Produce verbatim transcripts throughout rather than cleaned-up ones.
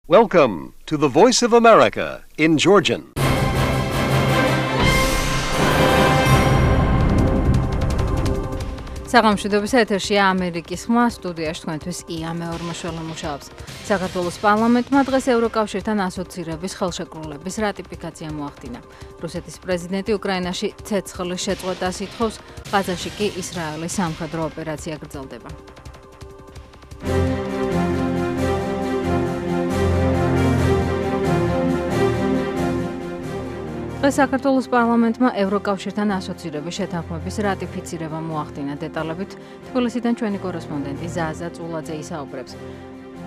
Welcome to the Voice of America in Georgian. საღამოშვიდობის ეთერშია ამერიკის ხმა, სტუდიაში თქვენთვის ია მეორმოშველა მუშაობს. საქართველოს პარლამენტმა დღეს ევროკავშირთან ასოცირების ხელშეკრულების რატიფიკაცია მოახდინა. რუსეთის პრეზიდენტი უკრაინაში ცეცხლის შეწყვეტას ითხოვს, ღაზაში კი ისრაელის სამხედრო ოპერაცია გრძელდება. დღეს საქართველოს პარლამენტმა ევროკავშირთან ასოცირების შეთანხმების რატიფიცირება მოახდინა. დეტალებით თბილისიდან ჩვენი კორესპონდენტი ზაზა წულაძე ისაუბრებს.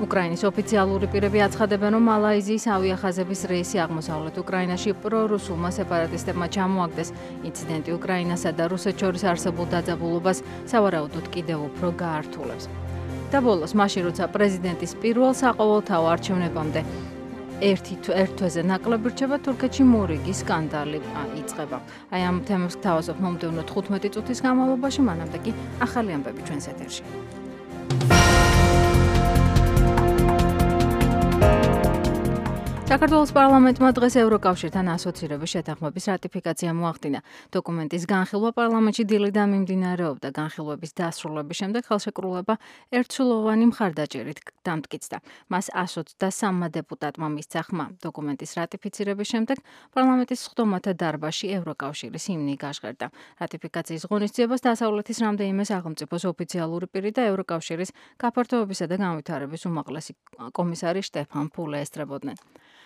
უკრაინის ოფიციალური პირები აცხადებენ, რომ მალაიზიის ავიახაზების რეისი აღმოსავლეთ უკრაინაში პრორუსულმა სეპარატისტებმა ჩამოაგდეს. ინციდენტი უკრაინასა და რუსეთს შორის არსებულ დაძაბულობას სავარაუდოდ კიდევ უფრო გაართულებს. და ბოლოს, მაშინ როცა პრეზიდენტის პირველ საყოველთაო არჩევნებამდე ერთი თვეზე ნაკლები რჩება, თურქეთში მორიგი სკანდალი იწყება. აი ამ თემებს გთავაზობ მომდევნო თხუთმეტი წუთის განმავლობაში, მანამდე კი ახალი ამბები ჩვენს ეთერში. საქართველოს პარლამენტმა დღეს ევროკავშირთან ასოცირების შეთანხმების რატიფიკაცია მოახდინა. დოკუმენტის განხილვა პარლამენტში დილიდან მიმდინარეობდა. განხილვების დასრულების შემდეგ ხელშეკრულება ერთსულოვანი მხარდაჭერით დამტკიცდა. მას ასოცი და სამმა დეპუტატმა მისცა ხმა. დოკუმენტის რატიფიცირების შემდეგ პარლამენტის სხდომათა დარბაზში ევროკავშირის ჰიმნი გაჟღერდა. რატიფიკაციის ღონისძიებას დასავლეთის რამდენიმე სახელმწიფოს ოფიციალური პირი და ევროკავშირის გაფართოებისა და განვითარების უმაღლესი კომისარი შტეფან ფულე ესწრებოდნენ.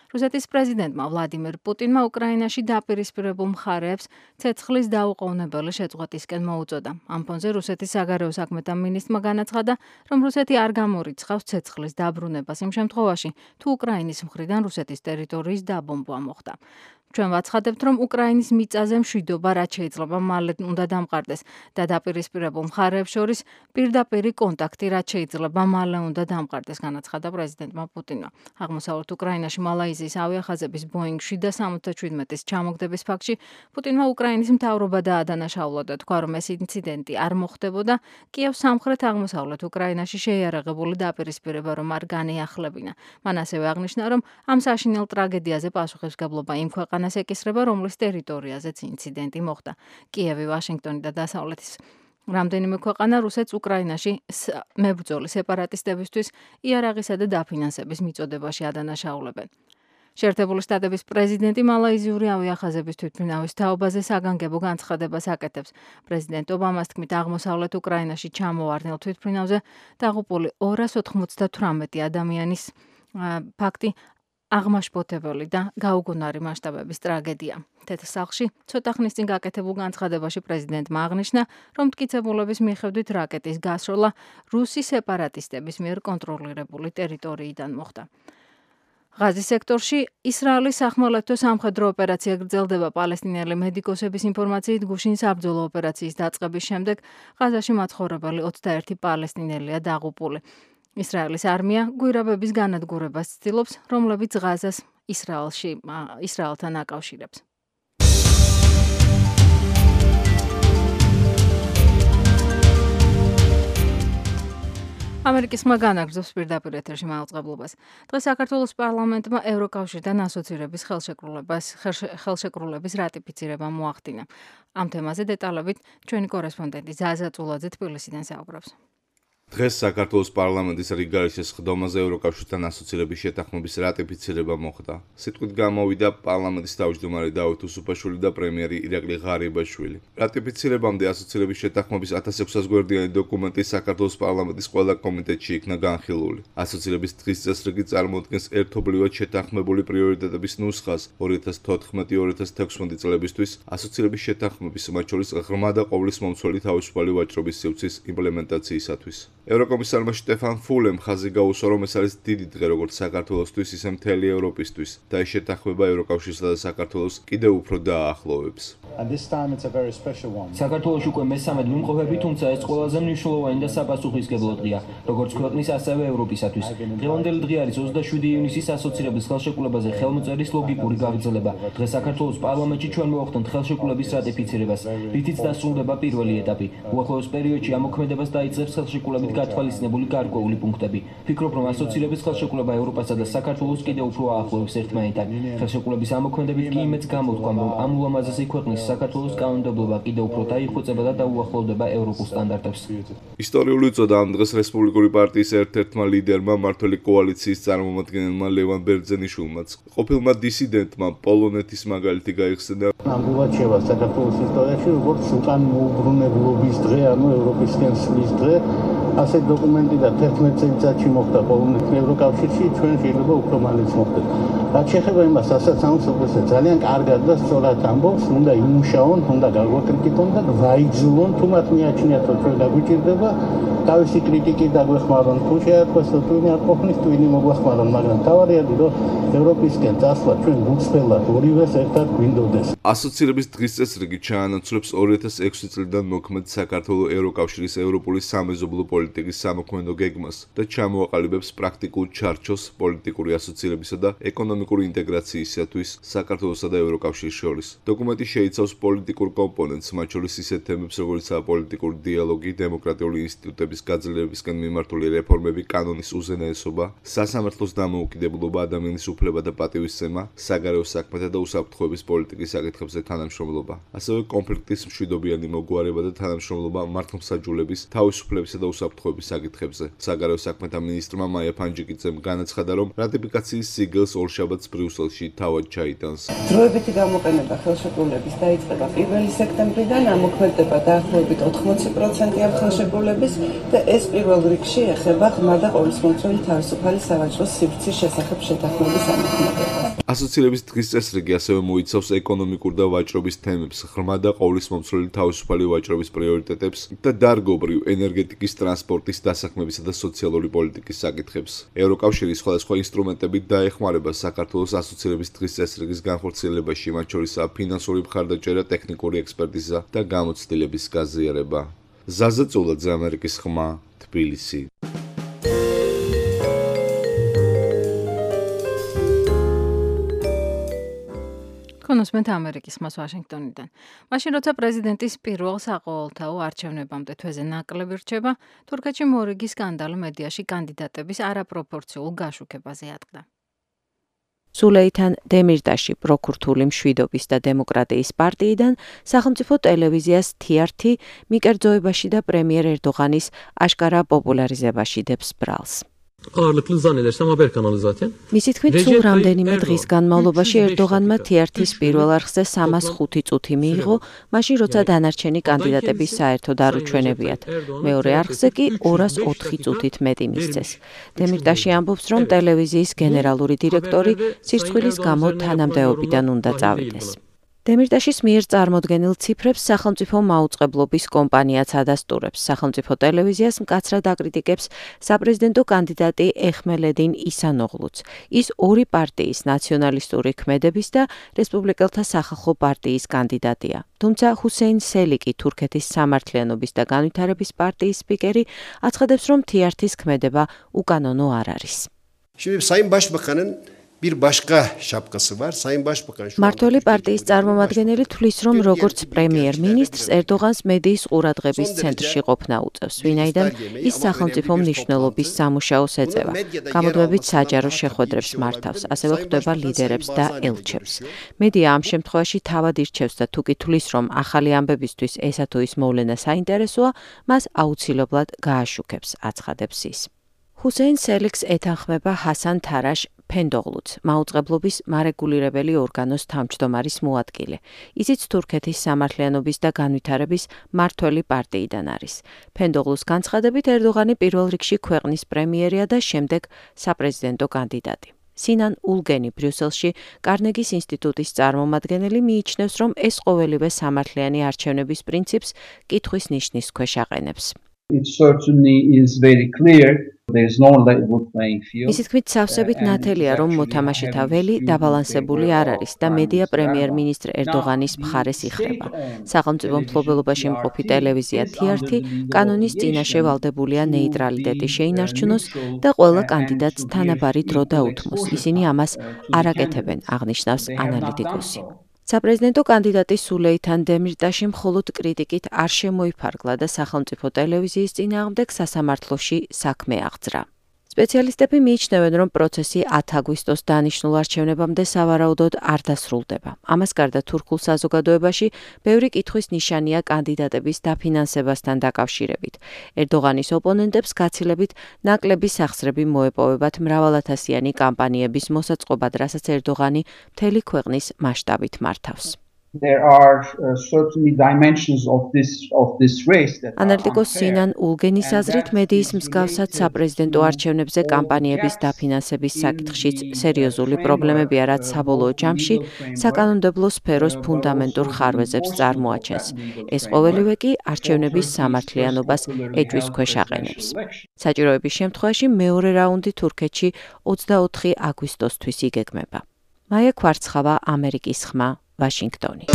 რუსეთის პრეზიდენტმა ვლადიმერ პუტინმა უკრაინაში დაპირისპირებულ მხარეებს ცეცხლის დაუყოვნებელი შეწყვეტისკენ მოუწოდა. ამ ფონზე რუსეთის საგარეო საქმეთა მინისტრმა განაცხადა, რომ რუსეთი არ გამორიცხავს ცეცხლის დაბრუნებას იმ შემთხვევაში, თუ უკრაინის მხრიდან რუსეთის ტერიტორიის დაბომბვა მოხდა. ჩვენ ვაცხადებთ, რომ უკრაინის მიწაზე მშვიდობა რაც შეიძლება მალე უნდა დამყარდეს და დაპირისპირებულ მხარეებს შორის პირდაპირი კონტაქტი რაც შეიძლება მალე უნდა დამყარდეს, განაცხადა პრეზიდენტმა პუტინმა. აღმოსავლეთ უკრაინაში მალაიზიის ავიახაზების ბოინგ შვიდ სამოცდაშვიდმეტის ჩამოგდების ფაქტში პუტინმა უკრაინის მთავრობა დაადანაშაულა და თქვა, რომ ეს ინციდენტი არ მოხდებოდა კიევს სამხრეთ აღმოსავლეთ უკრაინაში შეიარაღებული დაპირისპირება რომ არ განეახლებინა. მან ასევე აღნიშნა, რომ ამ საშინელ ტრაგედიაზე პასუხისმგებლობა იმ ქვეყანას ეკისრება, რომლის ტერიტორიაზეც ინციდენტი მოხდა. კიევი, ვაშინგტონი და დასავლეთის რამდენიმე ქვეყანა რუსეთს უკრაინაში მებრძოლი სეპარატისტებისთვის იარაღისა და დაფინანსების მიწოდებაში ადანაშაულებენ. შეერთებული შტატების პრეზიდენტი მალაიზიური ავიახაზების თვითმფრინავის თაობაზე საგანგებო განცხადებას აკეთებს. პრეზიდენტ ობამას თქმით, აღმოსავლეთ უკრაინაში ჩამოვარდნილ თვითმფრინავზე დაღუპული ორას ოთხმოცდათვრამეტი ადამიანის ფაქტი აღმაშფოთებელი და გაუგონარი მასშტაბების ტრაგედია. თეთრ სახლში ცოტა ხნის წინ გაკეთებულ განცხადებაში პრეზიდენტმა აღნიშნა, რომ მტკიცებულების მიხედვით რაკეტის გასროლა რუსი სეპარატისტების მიერ კონტროლირებული ტერიტორიიდან მოხდა. ღაზის სექტორში ისრაელის სახმელეთო სამხედრო ოპერაცია გრძელდება. პალესტინელი მედიკოსების ინფორმაციით, გუშინ საბრძოლო ოპერაციის დაწყების შემდეგ ღაზაში მაცხოვრებელი ოცდაერთი პალესტინელია დაღუპული. ისრაელის არმია გვირაბების განადგურებას ცდილობს, რომლებიც ღაზას ისრაელში ისრაელთან აკავშირებს. ამერიკის ხმა განაგრძობს პირდაპირ ეთერში მაუწყებლობას. დღეს საქართველოს პარლამენტმა ევროკავშირთან ასოცირების ხელშეკრულებას ხელშეკრულების რატიფიცირება მოახდინა. ამ თემაზე დეტალებით ჩვენი კორესპონდენტი ზაზა წულაძე თბილისიდან საუბრობს. დღეს საქართველოს პარლამენტის რიგგარიშის სხდომაზე ევროკავშირთან ასოცირების შეთანხმების რატიფიცირება მოხდა. სიტყვით გამოვიდა პარლამენტის თავმჯდომარე დავით უსუფაშვილი და პრემიერი ირაკლი ღარიბაშვილი. რატიფიცირებამდე ასოცირების შეთანხმების ათას ექვსას გვერდიანი დოკუმენტი საქართველოს პარლამენტის ყველა კომიტეტში იქნა განხილული. ასოცირების დღის წესრიგი წარმოადგენს ერთობლივად შეთანხმებული პრიორიტეტების ნუსხას ორი ათას თოთხმეტი ორი ათას თექვსმეტი წლებისთვის ასოცირების შეთანხმების, მათ შორის ღრმა და ყოვლის მომცველი თავისუფალი ვაჭრობის სივრცის იმპლემენტაციისათვის. ევროკომისარმა შტეფან ფულემ ხაზი გაუსვა, რომ ეს არის დიდი დღე როგორც საქართველოსთვის, ისე მთელი ევროპისთვის და ეს შეთანხმება ევროკავშირსა და საქართველოს კიდევ უფრო დააახლოვებს. საქართველოში უკვე მესამე მიმყოფები, თუმცა ეს ყველაზე მნიშვნელოვანი და საპასუხისმგებლო დღეა, როგორც ქვეყნის, ასევე ევროპისათვის. დღევანდელი დღე არის ოცდაშვიდი ივნისის ასოცირების ხელშეკრულებაზე ხელმოწერის ლოგიკური გაგრძელება. დღეს საქართველოს პარლამენტში ჩვენ მოვახდენთ ხელშეკრულების რატიფიცირებას, რითიც დასრულდება პირველი ეტაპი. უახლოეს პერიოდში ამ მოქმედებას დაიწყებს ხელშეკრულებით გათვალისწინებული გარკვეული პუნქტები. ფიქრობ, რომ ასოცირების ხელშეკრულება ევროპასა და საქართველოს კიდევ უფრო აახლოებს ერთმანეთთან. ხელშეკრულების ამ მოქმედებით კი იმედს გამოთქვამ, რომ ამ ულამაზესი ქვეყნის საქართველოს კანონმდებლობა კიდევ უფრო დაიხვეწება და დაუახლოვდება ევროპულ სტანდარტებს. ისტორიული უწოდა ამ დღეს რესპუბლიკური პარტიის ერთ-ერთმა ლიდერმა, მმართველი კოალიციის წარმომადგენელმა ლევან ბერძენიშვილმაც, ყოფილმა დისიდენტმა პოლონეთის მაგალითი გაიხსნა. ნამდვილად შევა საქართველოს ისტორიაში, როგორც უკან მოუბრუნებლობის დღე, ანუ ევროპისკენ სვლის დღე. ასეთ დოკუმენტი და თერთმეტ წელიწადში მოხდა პოლონეთის ევროკავშირში, ჩვენ შეიძლება უფრო მალეც მოხდეს. რაც შეეხება იმას, რასაც ამბობს, ძალიან კარგად და სწორად ამბობს, უნდა იმუშაონ, უნდა გაგვაკრიტიკონ და ვაიძულონ, თუ მათ მიაჩნიათ, რომ ჩვენ დაგვიჭირდება, თავისი კრიტიკით დაგვეხმარონ, თუ შეათქვეს, რომ ტვინი არ ყოფნის, ტვინი მოგვეხმარონ, მაგრამ თავარია, რომ ევროპისკენ წასვლა ჩვენ გუცბელად ორივეს ერთად გვინდოდეს. ასოცირების დღის წესრიგი ჩაანაცვლებს ორი ათას ექვსი წლიდან მოქმედ საქართველოს ევროკავშირის ევროპული სამეზობლო პოლიტიკის სამოქმედო გეგმას და ჩამოაყალიბებს პრაქტიკულ ჩარჩოს პოლიტიკური ასოცირებისა და ეკონომიკური ინტეგრაციისათვის საქართველოსა და ევროკავშირის შორის. დოკუმენტი შეიცავს პოლიტიკურ კომპონენტს, მათ შორის ისეთ თემებს, როგორიცაა პოლიტიკური დიალოგი, დემოკრატიული ინსტიტუტების გაძლიერებისკენ მიმართული რეფორმები, კანონის უზენაესობა, სასამართლოს დამოუკიდებლობა, ადამიანის უფლება და პატივისცემა, საგარეო საქმეთა და უსაფრთხოების პოლიტიკის საკითხებზე თანამშრომლობა. ასევე კონფლიქტის მშვიდობიანი მოგვარება და თანამშრომლობა მართლმსაჯულების, თავისუფლებისა და უსაფრთხოების საკითხებზე. საგარეო საქმეთა მინისტრმა მაია ფანჯიკიძემ განაცხადა, რომ რატიფიკაციის სიგელს ორშაბათს ბრიუსელში თავად ჩაიტანს. დროებითი გამოყენება ხელშეკრულების დაიწყება პირველი სექტემბრიდან, ამოქმედება დაახლოებით ოთხმოცი პროცენტი ამ ხელშეკრულების და ეს პირველ რიგში ეხება ღრმა და ყოვლისმომცველი თავისუფალი სავაჭრო სივრცის შესახებ შეთანხმების ამოქმედებას. ასოცირების დღის წესრიგი ასევე მოიცავს ეკონომიკურ და ვაჭრობის თემებს, ღრმა და ყოვლისმომცველი თავისუფალი ვაჭრობის პრიორიტეტებს და დარგობრივ ენერგეტიკის, ტრანსპორტის, დასაქმებისა და სოციალური პოლიტიკის საკითხებს. ევროკავშირის სხვადასხვა ინსტრუმენტებით დაეხმარება საქართველოს ასოცირების დღის წესრიგის განხორციელებაში, მათ შორისაა ფინანსური მხარდაჭერა, ტექნიკური ექსპერტიზა და გამოცდილების გაზიარება. ზაზა წულაძე, ამერიკის ხმა, თბილისი. კონსმენტ ამერიკის ხმას ვაშინგტონიდან. მაშინ როცა პრეზიდენტის პირველ საყოველთაო არჩევნებამდე თვეზე ნაკლები რჩება, თურქეთში მორიგი სკანდალი მედიაში კანდიდატების არაპროპორციულ გაშუქებაზე ატყდა. სულეითან დემირტაში პროქურთული მშვიდობის და დემოკრატიის პარტიიდან სახელმწიფო ტელევიზიას თი არ თი მიკერძოებაში და პრემიერ ერდოღანის აშკარა პოპულარიზებაში დებს ბრალს. Ağırlıklı zannedersem haber kanalı zaten. მისი თქმით, სულ რამდენიმე დღის განმავლობაში ერდოღანმა თი არ თის პირველ არხზე სამას ხუთი წუთი მიიღო, მაშინ როცა დანარჩენი კანდიდატები საერთოდ არ უჩვენებიათ. მეორე არხზე კი ორას ოთხი წუთით მეტი მისცეს. დემირტაში ამბობს, რომ ტელევიზიის გენერალური დირექტორი სირცხვილის გამო თანამდებობიდან უნდა წავიდეს. დემირტაშის მიერ წარმოდგენილ ციფრებს სახელმწიფო მაუწყებლობის კომპანიაც ადასტურებს. სახელმწიფო ტელევიზიას მკაცრად აკრიტიკებს საპრეზიდენტო კანდიდატი ეხმელედინ ისანოღლუც. ის ორი პარტიის ნაციონალისტური ქმედების და რესპუბლიკელთა სახალხო პარტიის კანდიდატია. თუმცა ჰუსეინ სელიკი, თურქეთის სამართლიანობის და განვითარების პარტიის სპიკერი, აცხადებს, რომ თი არ თის ქმედება უკანონო არ არის. Şimdi Sayın Başbakan'ın bir başka şapkası var. Sayın Başbakan şu მმართველი პარტიის წარმომადგენელი თვლის, რომ როგორც პრემიერ-მინისტრს ერდოღანს მედიის ყურადღების ცენტრში ყოფნა უწევს, ვინაიდან ის სახელმწიფო მნიშვნელობის სამუშაოს ეწევა. გამოდვებით საჯარო შეხვედრებს მართავს, ასევე ხვდება ლიდერებს და ელჩებს. მედია ამ შემთხვევაში თავად ირჩევს და თუ კი თვლის, რომ ახალი ამბებისთვის ესა თუ ის მოვლენა საინტერესოა, მას აუცილებლად გააშუქებს, აცხადებს ის. ჰუსეინ სელიქს ეთანხმება ჰასან თარაშ ფენდოღლუც, მაუწყებლობის მარეგულირებელი ორგანოს თავმჯდომარის მოადგილე. ისიც თურქეთის სამართლიანობის და განვითარების მმართველი პარტიიდან არის. ფენდოღლუს განცხადებით, ერდოღანი პირველ რიგში ქვეყნის პრემიერია და შემდეგ საპრეზიდენტო კანდიდატი. სინან ულგენი ბრიუსელში კარნეგის ინსტიტუტის წარმომადგენელი მიიჩნევს, რომ ეს ყოველივე სამართლიანი არჩევნების პრინციპს კითხვის ნიშნის ქვეშ აყენებს. It certainly is very clear მისი თქმით, სავსებით ნათელია, რომ მოთამაშე თაველი დაბალანსებული არ არის და მედია პრემიერ-მინისტრ ერდოღანის მხარეს იხრება. სახელმწიფო მფლობელობაში მყოფი ტელევიზია თი-ართი კანონის წინაშე ვალდებულია ნეიტრალიტეტი შეინარჩუნოს და ყველა კანდიდატს თანაბარი დრო დაუთმოს. ისინი ამას არ აკეთებენ, აღნიშნავს ანალიტიკოსი. საპრეზიდენტო კანდიდატი სულეითან დემირტაში მხოლოდ კრიტიკით არ შემოიფარგლა და სახელმწიფო ტელევიზიის წინააღმდეგ სასამართლოში საქმე აღძრა. სპეციალისტები მიიჩნევენ, რომ პროცესი ათი აგვისტოს დანიშნულ არჩევნებამდე სავარაუდოდ არ დასრულდება. ამას გარდა თურქულ საზოგადოებაში ბევრი კითხვის ნიშანია კანდიდატების დაფინანსებასთან დაკავშირებით. ერდოღანის ოპონენტებს გაცილებით ნაკლები სახსრები მოეპოვებათ მრავალათასიანი კამპანიების მოსაწყობად, რასაც ერდოღანი მთელი ქვეყნის მასშტაბით მართავს. ანალიტიკოს სინან ულგენის აზრით, მედიის მსგავსად საპრეზიდენტო არჩევნებზე კამპანიების დაფინანსების საკითხშიც სერიოზული პრობლემებია, რაც საბოლოო ჯამში საკანონმდებლო სფეროს ფუნდამენტურ ხარვეზებს წარმოაჩენს. ეს ყოველივე კი არჩევნების სამართლიანობას ეჭვის ქვეშ აყენებს. საჭიროების შემთხვევაში მეორე რაუნდი თურქეთში ოცდაოთხი აგვისტოსთვის იგეგმება. მაია კვარცხავა, ამერიკის ხმა, ვაშინგტონი.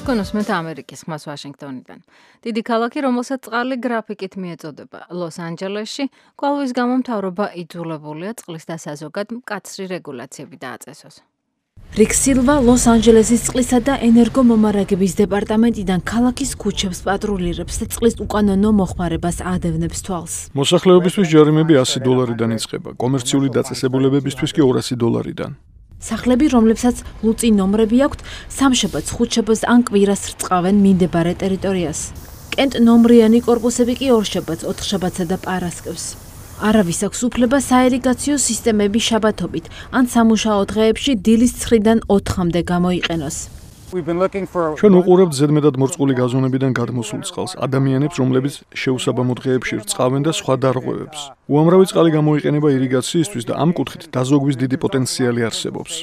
კონსმეთ ამერიკის ხმას ვაშინგტონიდან. დიდი ქალაქი, რომელსაც წყალი გრაფიკით მიეწოდება, ლოს-ანჯელესში, კვალვის გამო მთავრობა იძულებულია წყლის დასაზოგად მკაცრი რეგულაციები დააწესოს. რიკ სილვა ლოს-ანჯელესის წყლისა და ენერგომომარაგების დეპარტამენტიდან ქალაქის ქუჩებს პატრულირებს და წყლის უკანონო მოხმარებას ადევნებს თვალს. მოსახლეობისთვის ჯარიმები ასი დოლარიდან იწყება, კომერციული დაწესებულებებისთვის კი ორასი დოლარიდან. სახლები, რომლებსაც ლუწი ნომრები აქვთ, სამშაბათს, ხუთშაბათს ან კვირას რწყავენ მინდებარე ტერიტორიას. კენტ ნომრიანი კორპუსები კი ორშაბათს, ოთხშაბათსა და პარასკევს. არავის აქვს უფლება საირიგაციო სისტემები შაბათობით ან სამუშაო დღეებში დილის ცხრიდან ოთხამდე გამოიყენოს. ჩვენ უყურებთ ზედმეტად მორწყული გაზონებიდან გადმოსულ წყალს, ადამიანებს, რომლებიც შეუსაბამო დღეებში რწყავენ და სხვა დარღვევებს. უამრავი წყალი გამოიყენება ირიგაციისთვის და ამ კუთხით დაზოგვის დიდი პოტენციალი არსებობს.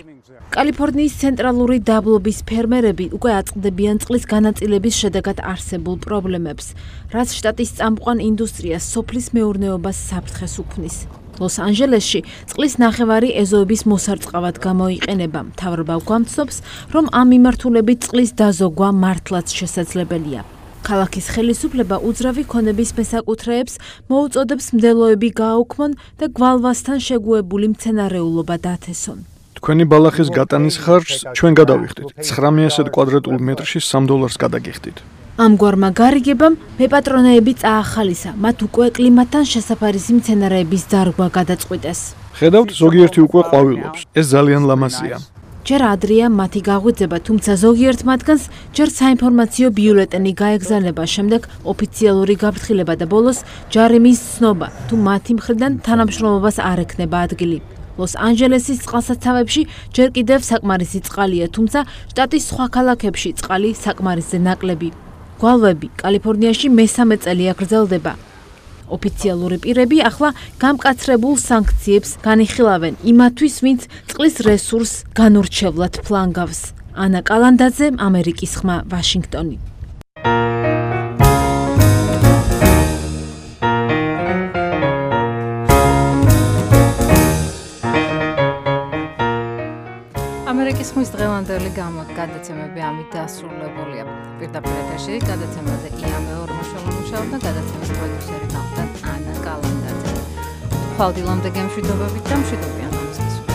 კალიფორნიის ცენტრალური დაბლობის ფერმერები უკვე აწყდებიან წყლის განაწილების შედეგად არსებულ პრობლემებს, რაც შტატის წამყვან ინდუსტრიას სოფლის მეურნეობას საფრთხეს უქმნის. ლოს-ანჯელესში წყლის ნახევარი ეზოების მოსარწყავად გამოიყენება. მთავრობა გვამცნობს, რომ ამ მიმართულებით წყლის დაზოგვა მართლაც შესაძლებელია. ქალაქის ხელისუფლება უძრავი ქონების მესაკუთრეებს მოუწოდებს მდელოები გააუქმონ და გვალვასთან შეგუებული მცენარეულობა დათესონ. თქვენი ბალახის გატანის ხარჯს ჩვენ გადავიხდით. ცხრამეტ კვადრატულ მეტრში სამ დოლარს გადაგიხდით. ამგვარმა გარიგებამ მეპატრონეები წაახალისა, მათ უკვე კლიმატთან შესაფარისი მცენარეების დარგვა გადაწყვიტეს. ხედავთ, ზოგიერთი უკვე ყვავილობს. ეს ძალიან ლამაზია. ჯერ ადრეა მათი გაღვიძება, თუმცა ზოგიერთ მათგანს ჯერ საინფორმაციო ბიულეტენი გაეგზავნება, შემდეგ ოფიციალური გაფრთხილება და ბოლოს ჯარიმის ცნობა, თუ მათი მხრიდან თანამშრომლობას არ ექნება ადგილი. ლოს-ანჯელესის წყალსაცავებში ჯერ კიდევ საკმარისი წყალია, თუმცა შტატის სხვა ქალაქებში წყალი საკმარისზე ნაკლები. გვალვები კალიფორნიაში მესამე წელია გრძელდება. ოფიციალური პირები ახლა გამკაცრებულ სანქციებს განიხილავენ იმათთვის, ვინც წყლის რესურსს განურჩევლად ფლანგავს. ანა კალანდაძე, ამერიკის ხმა, ვაშინგტონი. ამერიკის ხმის დღევანდელი გადაცემები ამით დასრულებულია. პირდაპირ ეთერში გადაცემაზე ია მეორმოშოლა მუშაობდა, გადაცემის პროდიუსერი გახდა ანა კალანდაძე. ხვალდილამდე გემშვიდობებით და მშვიდობიან ამის გასვლით.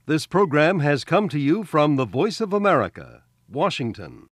This program has come to you from the Voice of America, Washington.